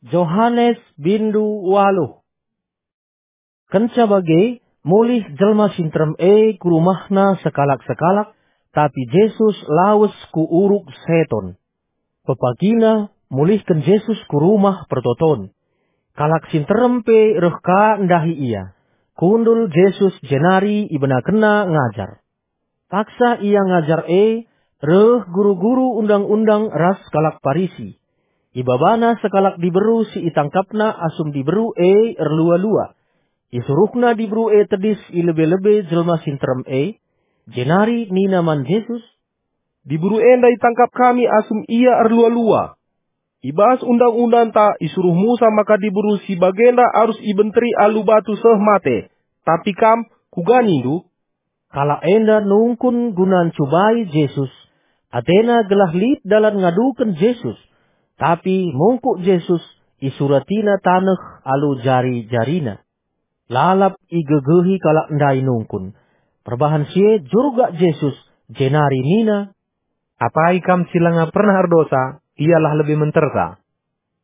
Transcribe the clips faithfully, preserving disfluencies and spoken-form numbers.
Johanes bindu waluh. Kenca bage, mulih jelma si nterem e ku rumahna sekalak-sekalak, tapi Jesus lawes ku Uruk Seton. Pepagina mulihken Jesus ku Rumah Pertoton. Kalak si nterem pe reh ka ndahi ia. Kundul Jesus jenari ibenakenna ngajar. Paksa ia ngajar e, reh guru-guru undang-undang ras kalak Parisi. Ibabana sekalak diberu si itangkapna asum diberu e erlua-lua. Isuruhna diberu e tedis i lebe-lebe jelma si nterem e, jenari nina man Jesus, "Diberu enda itangkap kami asum ia erlua-lua. I bas undang-undangta isuruh Musa maka diberu si bagenda arus ibenteri alu batu seh mate, tapi kam, kuga nindu?" Kalak enda nungkun guna ncubai Jesus. Atena gelah lit dalan ngaduken Jesus. Tapi mungkuk Jesus, isuratina taneh alu jari-jarina. Lalap igegehi kalak ndai nungkun. Perbahan si e jurgak Jesus, jenari nina, "Apai kam si langa pernah erdosa, ialah lebe mentersa."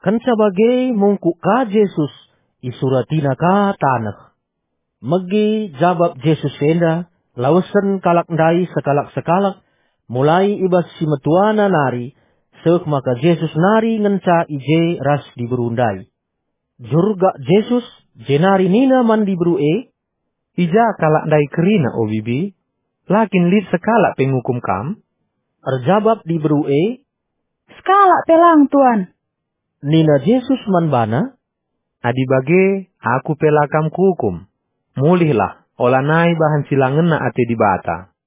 Kenca bage mungkuk ka Jesus, isuratina ka taneh. Megi jabap Jesus enda, lawesen kalak ndai sekalak-sekalak, mulai i bas si metuana nari, seh maka Jesus nari ngenca i je ras diberu ndai. Jurgak Jesus, jenari nina man diberu e, "I ja kalak ndai kerina, o bibi? La kin lit sekalak pe ngukum kam?" Erjabap diberu e, "Sekalak pe lang, Tuan." Nina Jesus man bana, "Adi bage, Aku pe la kam kuukum. Mulihlah, olanai bahan si la ngena ate Dibata."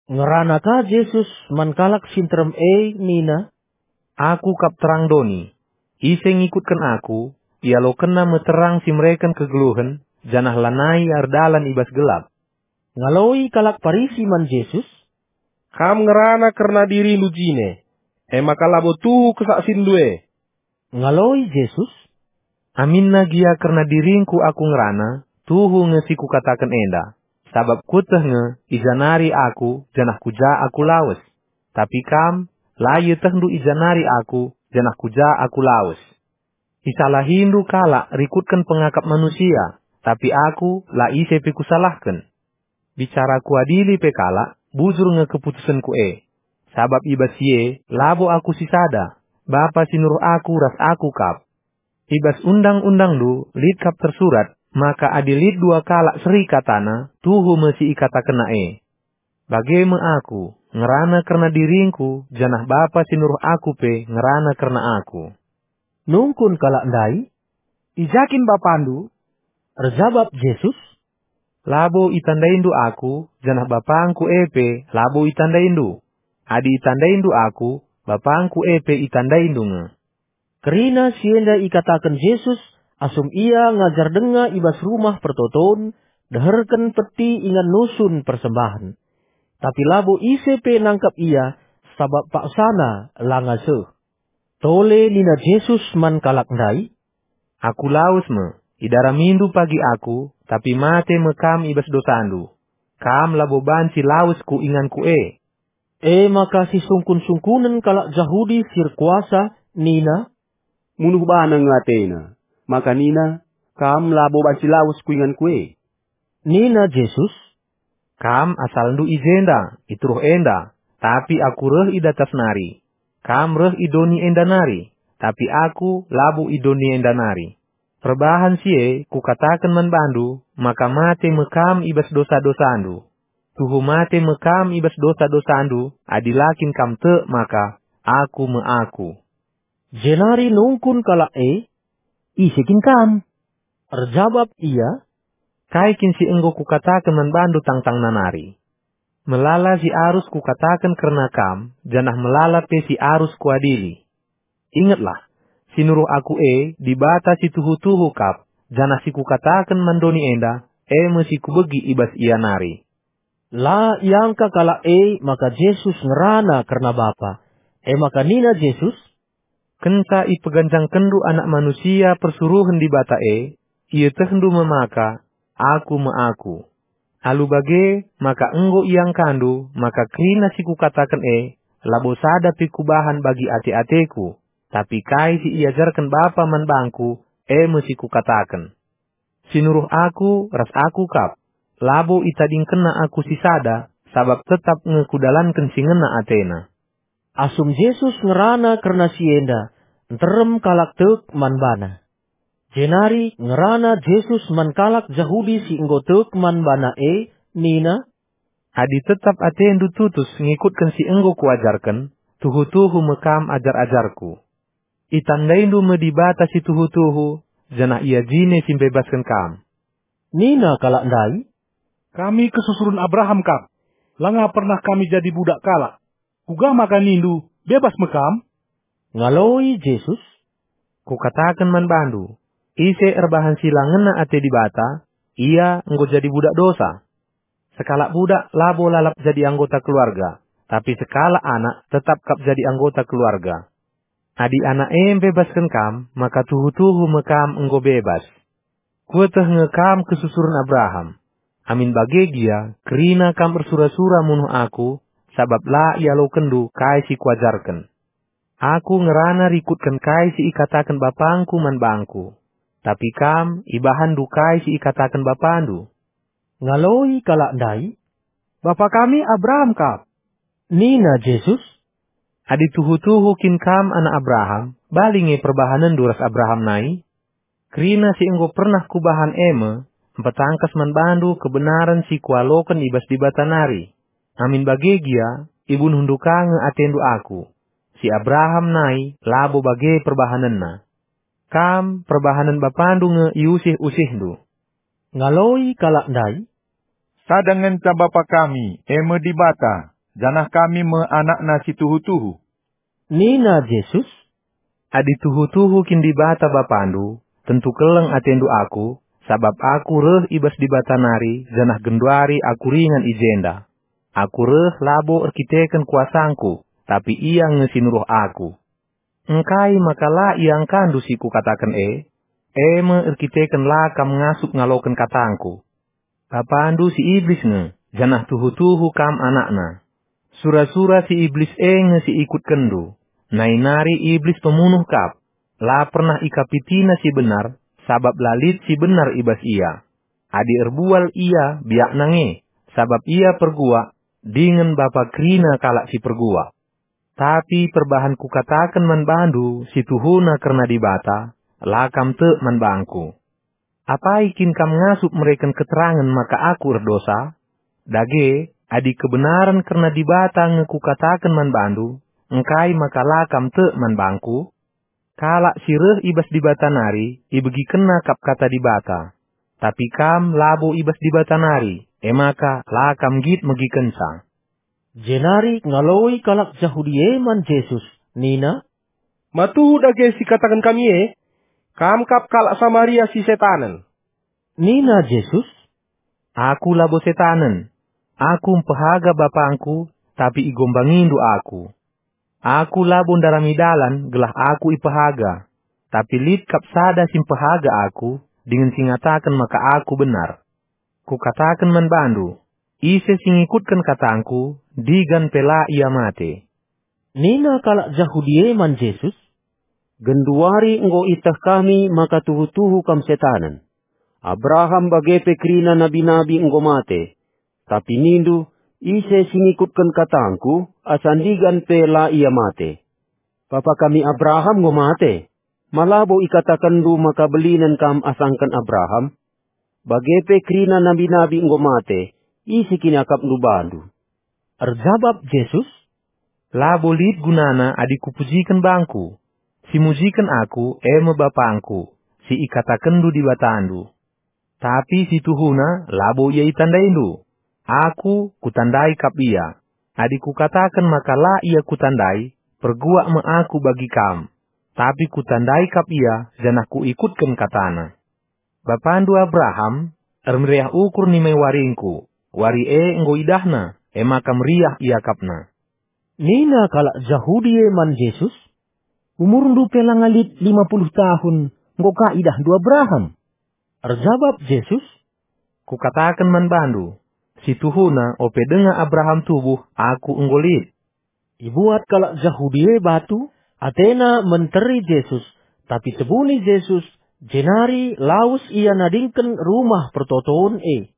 Ngerana ka Jesus man kalak si nterem e nina, "Aku kap terang doni. Ise ngikutken Aku, ialokenna me terang si mereken kegeluhen, janah lanai erdalan i bas gelap." Ngaloi kalak Parisi man Jesus, "Kam ngerana kerna dirindu jine, e maka labo tuhu kesaksindu e." Ngaloi Jesus, "Aminna gia kerna diringKu Aku ngerana, tuhu nge si Kukataken enda, sabap Kueteh nge i ja nari Aku janah ku ja Aku lawes. Tapi kam, la ietehndu i ja nari Aku janah ku ja Aku lawes. Isalahindu kalak rikutken pengakap manusia, tapi Aku la ise pe Kusalahken. Bicara Kuadili pe kalak, bujur nge keputusenKu e. Sabap i bas si e labo Aku sisada, Bapa si nuruh Aku ras Aku kap. I bas Undang-undangndu lit kap tersurat maka adi lit dua kalak seri katana, tuhu me si ikatakenna e. Bage me Aku, ngerana kerna diringKu, janah Bapa si nuruh Aku pe ngerana kerna Aku." Nungkun kalak ndai, "I ja kin BapaNdu?" Erjabap Jesus, "Labo itandaindu Aku, janah BapangKu e pe labo itandaindu. Adi itandaindu Aku, BapangKu e pe itandaindu nge." Kerina si enda ikataken Jesus asum Ia ngajar denga i bas Rumah Pertoton, deherken peti ingan nusun persembahen. Tapi labo ise pe nangkap Ia, sabap paksana langa seh. Tole nina Jesus man kalak ndai, "Aku lawes me, idaramindu pagi Aku, tapi mate me kam i bas dosandu. Kam labo banci lawes ku inganKu e." E maka sisungkun-sungkunen kalak Jahudi si erkuasa nina, "Munuh bana nge atena, maka nina, 'Kam labo banci lawes ku inganKu e.'" Nina Jesus, "Kam asalndu i jenda, i teruh enda, tapi Aku reh i datas nari. Kam reh i doni enda nari, tapi Aku labo i doni enda nari. Perbahan si e Kukataken man bandu, maka mate me kam i bas dosa-dosandu. Tuhu mate me kam i bas dosa-dosandu, adi la kin kam tek maka Aku me Aku." Jenari nungkun kalak e, "Ise kin Kam?" Erjabap Ia, "Kai kin si enggo Kukataken man bandu tangtangna nari? Melala si arus Kukataken kerna kam, janah melala pe si arus Kuadili. Ingetlah, si nuruh Aku e Dibata si tuhu-tuhu kap, janah si Kukataken man doni enda, e me si Kubegi i bas ia nari." La iangka kalak e maka Jesus ngerana kerna Bapa. E maka nina Jesus, "Kenca ipeganjangkenndu Anak Manusia persuruhen Dibata e, ietehndu me maka Aku me Aku. Alu bage maka enggo iangkandu maka kerina si Kukataken e labo sada pe Kubahan bagi ate-ateKu, Tapi kai si iajarken Bapa man bangku, e me si kukataken. Si nuruh aku ras aku kap. Labo itadingkenna aku sisada, sabap tetap nge kudalanken si ngena atena." Asum Jesus ngerana kerna si enda, nterem kalak tek man bana. Jenari ngerana Jesus man kalak Jahudi si enggo tek man bana e, nina, "Adi tetap atendu tutus ngikutken si enggo kuajarken, tuhu-tuhu me kam ajar-ajarKu. Itandaindu me Dibata si tuhu-tuhu, janah Ia jine si mbebasken kam." Nina kalak ndai, "Kami kesusuren Abraham kap. Langa pernah kami jadi budak kalak. Kuga maka nindu, 'Bebas me kam'?" Ngaloi Jesus, "Kukataken man bandu, ise erbahan si la ngena ate Dibata, ia enggo jadi budak dosa. Sekalak budak labo lalap jadi anggota keluarga, tapi sekalak anak tetap kap jadi anggota keluarga. Adi Anak e mbebasken kam, maka tuhu-tuhu me kam enggo bebas. Kueteh nge kam kesusuren Abraham. Amin bage gia, kerina kam ersura-sura munuh Aku, sabap la ialokenndu kai si Kuajarken. Aku ngerana rikutken kai si ikataken BapangKu man bangKu, tapi kam ibahanndu kai si ikataken bapandu." Ngaloi kalak ndai, "Bapa kami Abraham kap." Nina Jesus, "Adi tuhu-tuhu kin kam anak Abraham, bali nge perbahanenndu ras Abraham nai. Kerina si enggo pernah Kubahan e me, mpetangkas man bandu kebenaren si Kualoken i bas Dibata nari. Amin bage gia, ibunuhndu ka nge atendu Aku. Si Abraham nai labo bage perbahanenna. Kam, perbahanen bapandu nge iusih-usihndu." Ngaloi kalak ndai, "Sada ngenca Bapa kami, e me Dibata, janah kami me anakNa si tuhu-tuhu." Nina Jesus, "Adi tuhu-tuhu kin Dibata Bapandu, tentu keleng atendu Aku, sabap Aku reh i bas Dibata nari, janah genduari Aku ringan i jenda. Aku reh labo erkiteken kuasangKu, tapi Ia nge si nuruh Aku. Engkai maka la iangkandu si Kukataken e? E me erkiteken la kam ngasup ngaloken katangKu. Bapandu si Iblis nge, janah tuhu-tuhu kam anakna. Sura-sura si Iblis e nge si ikutkenndu. Nai nari Iblis pemunuh kap. La pernah ikapitina si benar, sabap la lit si benar i bas ia. Adi erbual ia, biakna nge, sabap ia perguak, dingen bapa kerina kalak si perguak. Tapi perbahan Kukataken man bandu si tuhuna kerna Dibata, la kam tek man bangKu. Apai kin kam ngasup mereken keterangen maka Aku erdosa? Dage, adi kebenaren kerna Dibata nge Kukataken man bandu, engkai maka la kam tek man bangKu? Kalak si reh i bas Dibata nari ibegikenna kap Kata Dibata. Tapi kam labo i bas Dibata nari, e maka la kam nggit megikenca." Jenari ngaloi kalak Jahudi e man Jesus, nina, "Ma tuhu dage si kataken kami e? Kam kap kalak Samaria si setanen." Nina Jesus, "Aku labo setanen. Aku mpehaga BapangKu, tapi igombangiNdu Aku. Aku labo ndarami dalan gelah Aku ipehaga, tapi lit kap sada si mpehaga Aku dingen si ngataken maka Aku benar. Kukataken man bandu, ise si ngikutken katangKu, digan pe la ia mate." Nina kalak Jahudi e man Jesus, "Genduari enggo ieteh kami maka tuhu-tuhu Kam setanen. Abraham bage pe kerina nabi-nabi enggo mate. Tapi nindu, 'Ise si ngikutken katangKu, asa ndigan pe la ia mate.' Bapa kami Abraham enggo mate. Ma labo ikatakenndu maka belinen kam asangken Abraham? Bage pe kerina nabi-nabi enggo mate, ise kin iakapndu bandu?" Erjabap Jesus, "Labo lit gunana adi Kupujiken bangKu. Si mujiken Aku, e me BapangKu, si ikatakenndu Dibatandu. Tapi si tuhuna labo ia itandaindu. Aku, Kutandai kap ia. Adi Kukataken maka la ia Kutandai, perguak me Aku bagi kam. Tapi Kutandai kap ia, janah Kuikutken katana. Bapandu Abraham ermeriah ukur nimai waringKu, wari e enggo idahna, e maka meriah iakapna." Nina kalak Jahudi e man Jesus, "Umurndu pe langa lit lima puluh tahun, enggo ka idahndu Abraham?" Erjabap Jesus, "Kukataken man bandu, si tuhuna ope denga Abraham tubuh, Aku enggo lit." Ibuat kalak Jahudi e batu, atena menteri Jesus, tapi tebuni Jesus, jenari lawes ia nadingken rumah pertoton e.